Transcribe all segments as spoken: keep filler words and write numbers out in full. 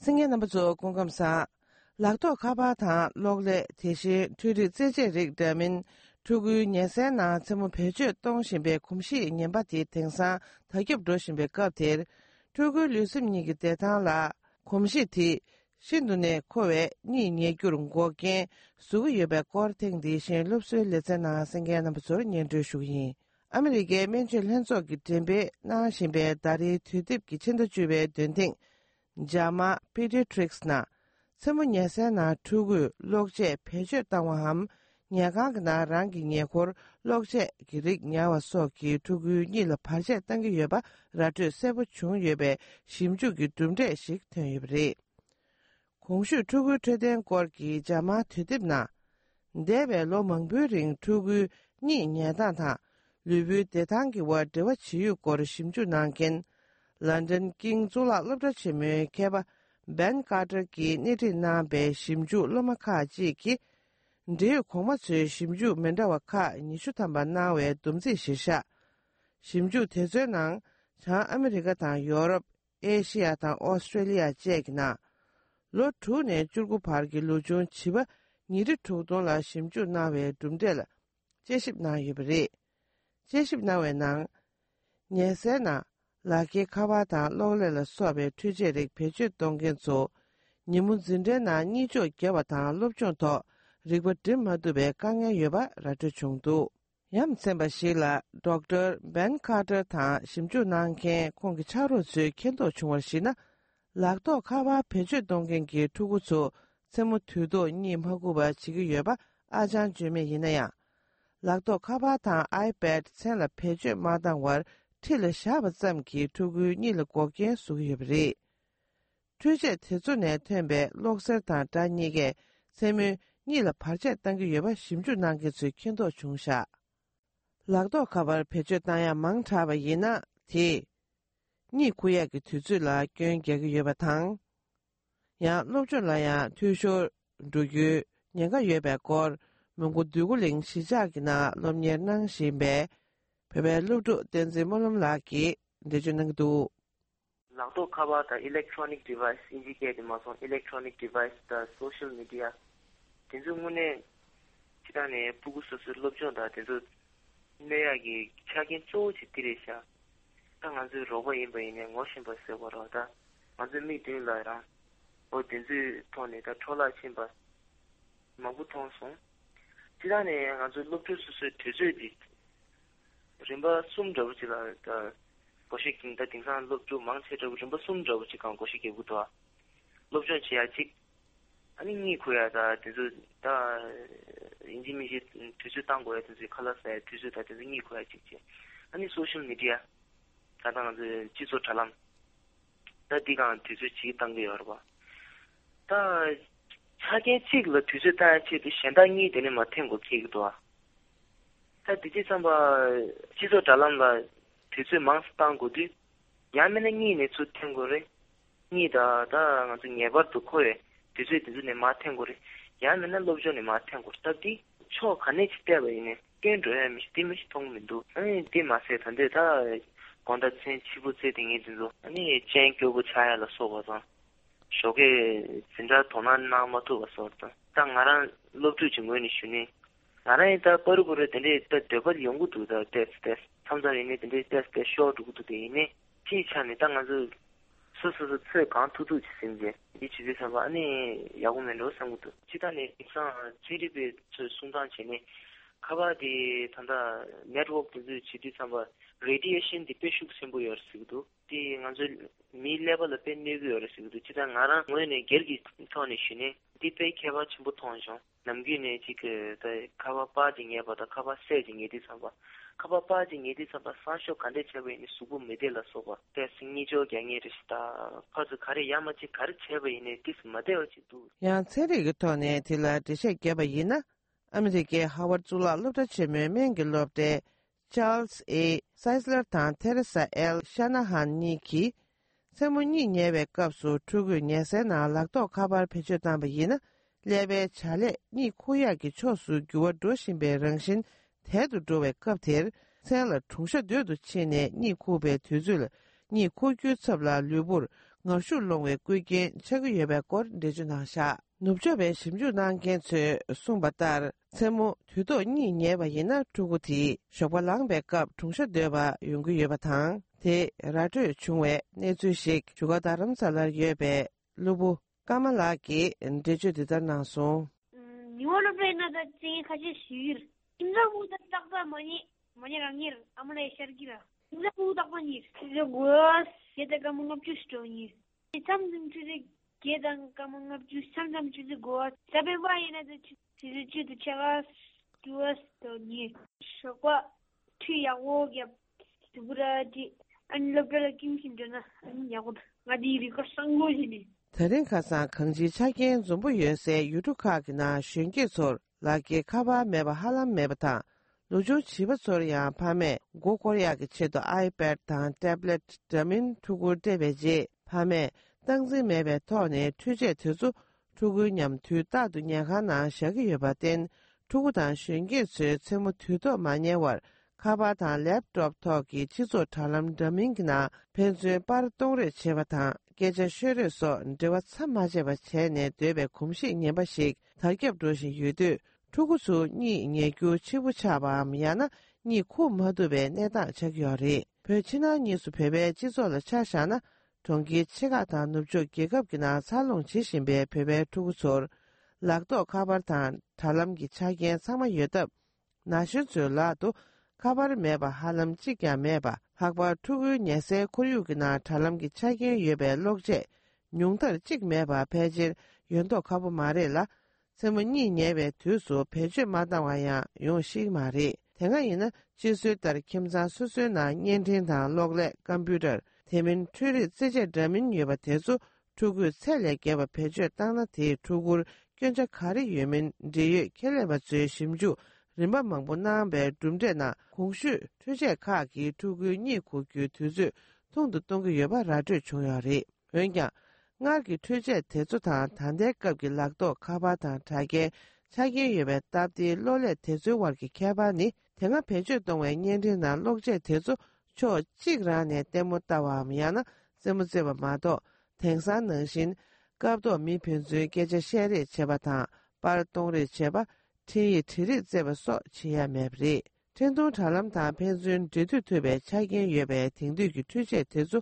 생계 넘버조 공감사 락도 카바타 로글레 대신 투리 제제릭 되면 두구 년세나 전부 배주 동신배 kum시 년바디 등사 타격도 신배 갑들 두구 류심니기 대단라 kum시티 신도네 코에 니니 교run고게 수유배 코팅 대신 룹스레잖아 생계 넘버조 년주슈이 아메리게 멘젤 현속이 템베 나신배 다리 투딥 기친도 주배 된딩 자마 pediatrics나 세문예세나 투구 록제 배주 당와함 냐가나 랑기 녀콜 록제 기릭 냐와소기 투구 니르 파제 당기 여바 라트 세부 중여배 심주기 둠데식 태입리 공슈 투구 트된 거기 자마 트딥나 데베 로멍부링 투구 니 냐다타 르뷰 대당기 와드와 치유 거르 심주 난겐 London King Zula Lubda Chime Keba Ben Carter Ki Nitina Be Shimju Lomaka Ji Ki Nde Komatsu Shimju Mendawaka Nishutamba Nawe Dumzi Shisha Shimju Tezenang Cha America Tang Europe Asia Tang Australia Jegna Lo Tu Ne Julgu Parki Lujun Chiba Niri Tudon La Shimju Nawe Dumdela Jeship Na Yubri Jeship Nawe Nang Nyesena 라게 카바다 로레라 수업에 투제릭 배주 동gen소 니문진데나 니조 개바다 롭존토 리버트 마두베 강에 여바 라트 중도 얌셈바실라 Doctor Ben Carter 타 심주난케 공기 차로스 켄도 중월시나 락도 카바 배주 동gen기 투구소 세무 투도 님하고바 지기 여바 아잔 주메 이나야 락도 카바타 아이패드 셀라 배주 마당월 Tila shaba zamki tugu nila gokyen sugiyabri. Tuje tezune tenbe loksar tang da nige semu nila parche tangi yoba shimju nangi zui kendo chungsha. Lakdo kabar peche tanya mang chaba yina ti. Ni kuya ki tuzu la gyon gyaga yoba tang. Ya lobchun la ya tuisho dugu nyanga yoba kor mungu dugu ling shijagi na lomnyer nang shimbe. Pepe ludu denzi molum laki dejunangdu. Langto kaba the electronic device indicate mason electronic device the social media. Denzu mune chidane pugusu lobjon da denzu neagi chagin cho chitiresha. Tanganzu robo imbaine ngoshin base woroda. Manzu meeting la ra. O denzu tone da chola chimba. Mabu tonson. Chidane nganzu lobjo su tezedi. rimba sum jawchi la da koshi king da tingsan lobju mangche jaw rimba sum jawchi kan koshi ke butwa lobju chi ya chi ani ni kuya da tizu da injimi ji tizu tang go ya tizu khala sa tizu da tizu ni kuya chi chi ani social media ta da de chi so chalam da diga tizu chi tang ge yor ba da chage chi lo tizu da chi de shen da ni de ne ma ten go ke gdo 다 디지털 지도 달란가 디지 망스탄 고디 야메네 니네 추텐 거래 니다 다 가서 예버도 코에 디지 디지네 마텐 거래 야메네 로브존네 마텐 거 따디 초 가네 치때 버이네 겐드에 미스티미스 통민도 아니 디마세 탄데 다 건다 첸 치부체 등이 진도 아니 첸 교부 차야라 소거서 쇼게 진짜 돈안 나마도 왔었다 땅아란 로브 증거니 쉬니 나라에다 버르고를 되는데 대벌 연구도 더 테스트 참자리네 되는데 테스트 쇼도도 되네 지찬에 당아서 스스로 체 강투도 지신게 이 집에서 아니 야구면로 상부도 지단에 입상 지리비 저 순간 전에 카바디 단다 네트워크 그 지디 삼바 radiation dipeshuk sembo yorsigdu ti nganjul mi level pe nevi yorsigdu chida ngara ngoene gergi thone shine dipe kheba chimbo thonjo namgi ne chik ta khaba pa jinge ba ta khaba se jinge di samba khaba pa jinge di samba sasho kande chebe ni subu medela soba te singi jo gyange rista phaz khare yamachi khar chebe ni tis madeo chi du ya tsere ge thone tila tishe geba yina Amerike Howard Zula lobda cheme menge lobde Charles A. Seisler tan Teresa L. Shanahan Niki 세문이 예배 값수 투구 예세나 락도 카발 페주단 바이나 레베 차레 니 코야기 초수 교와 도신베 랑신 태도도베 값텔 셀러 총셔도도 치네 니 코베 투줄 니 코규 첩라 류불 ngoshu longwe kuikin chegu yebe kor deju nangsha. Nubjobe shimju nanggen tsu sungbatar tsemu tudo ni nyeba yina tuguti shokwa langbe kap tungsha deba yungu yeba tang. Te ratu chungwe nezushik shuga daramsalar yebe lubu kamalaki deju didar nangsung. Niwolo plena da tsingi kachi shir. Imza buda takda mani mani rangir amala eshargira. Imza buda panir. Tizo guas yeda kamungap chustoni. Samdum tizo gedang kamungap chust samdum tizo guas. Sabe bayina da tizo tizo chagas guas toni. Shokwa tuyawo gyap tibura di anlopela kimkimjona anyagod ngadiri kasangojini. Tarin kasan kangji chakin zumbu yunse yuduka gina shungi sor laki kaba meba halam meba ta. Luju chiba sor yang pame go korea ki chedo iPad tang tablet damin tugur debeji pame tangzi mebe tohne tuje tuzu tugu nyam tu dadu nyaka na shagi yobaten tugu tang shungi su tsemu tudo manye war kaba tang laptop toki chizo talam damin gina penzu bar tongre cheba tang geje shuru so ndewa tsamajeba chene dwebe kumshi nyebashik targyab doshin yudu tugusu ni nyegyu chibuchaba miyana ni ku madube nedang chagyori. Pechina nisu pepe jizola chashana tonggi chigata nubjo gegabgina salong chishinbe pepe tugusor lakdo kabartan talamgi chagyen sama yodab nashinsu lado kabar meba halam chigya meba hakba tugu nyese kuryugina talamgi chagyen yebe lokje nyungtar chig meba pejir yondo kabu mare la semu ni nyebe tusu pejir madawaya yung shig mare. Tenga ina jisu dar kimzang susu na nyentintang lokle computer temin turi zije damin yeba tesu tugu sele geba pejir tangna te tugur gyonja kari yumin diyu keleba zuyo shimju rinpa mangpo nangbe dumde na kongshu tuje kaagi tugu ni kukyu tuzu tongdu tonggu yoba raju chungyari. Yongyang, ngarki tuje tezu tang tante qabki lakdo kaba tang tage chagi yobe tabdi lole tezu warki kebani tenga pechu tongwe nyenti na lokje tezu cho jigrane temu tawa miyana semu zeba mado tengsan nangshin qabdo mi pinzu geje sheri cheba tang bar tongri cheba tiyi tiri zeba so chiya mebri. Tendong chalam tang penzun ditu tube chagin yobe tingdu ki tuje tezu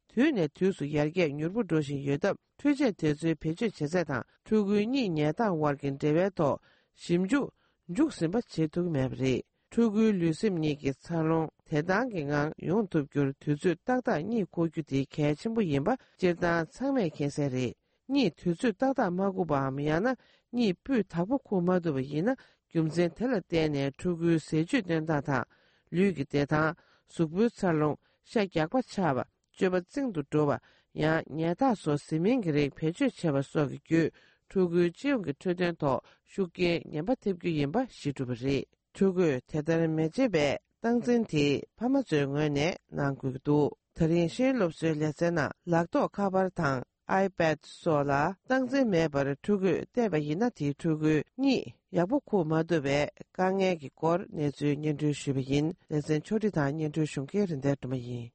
tuyune tusu yarge nyurbu doshin yodab tuje tezu pechu chese tang tugu ni nyedang wargin dewe to shimju njuk simba chetug mebri. Tugu lusim niki salong tedangi ngang yung tupgyur tuzu takda ni kogyu di kachimbu yinba jirdan sangme kenseri. Ni tuzu takda maguba amiyana ni bu tabu kumaduba yina gyumzen tela tene tugu seju denda ta lugi detan sukbu salong shakyakwa chaba joba zingdu doba ya nyata so simingiri pechu chaba sogi gyu tugu jiyongi tuden to shuki nyamba tepgyu yinba shidubari. Tugu tedarin mejebe tangzinti pamazoy ngayne nanggugidu. Tarin shin lopsu lesena lakdo kabar tang iPad sola tangzin mebar tugu deba yinati tugu ni yabuku madube kange ki kor nezu nyendu shubayin lesen chodi ta nyendu shunke rinda dumayin.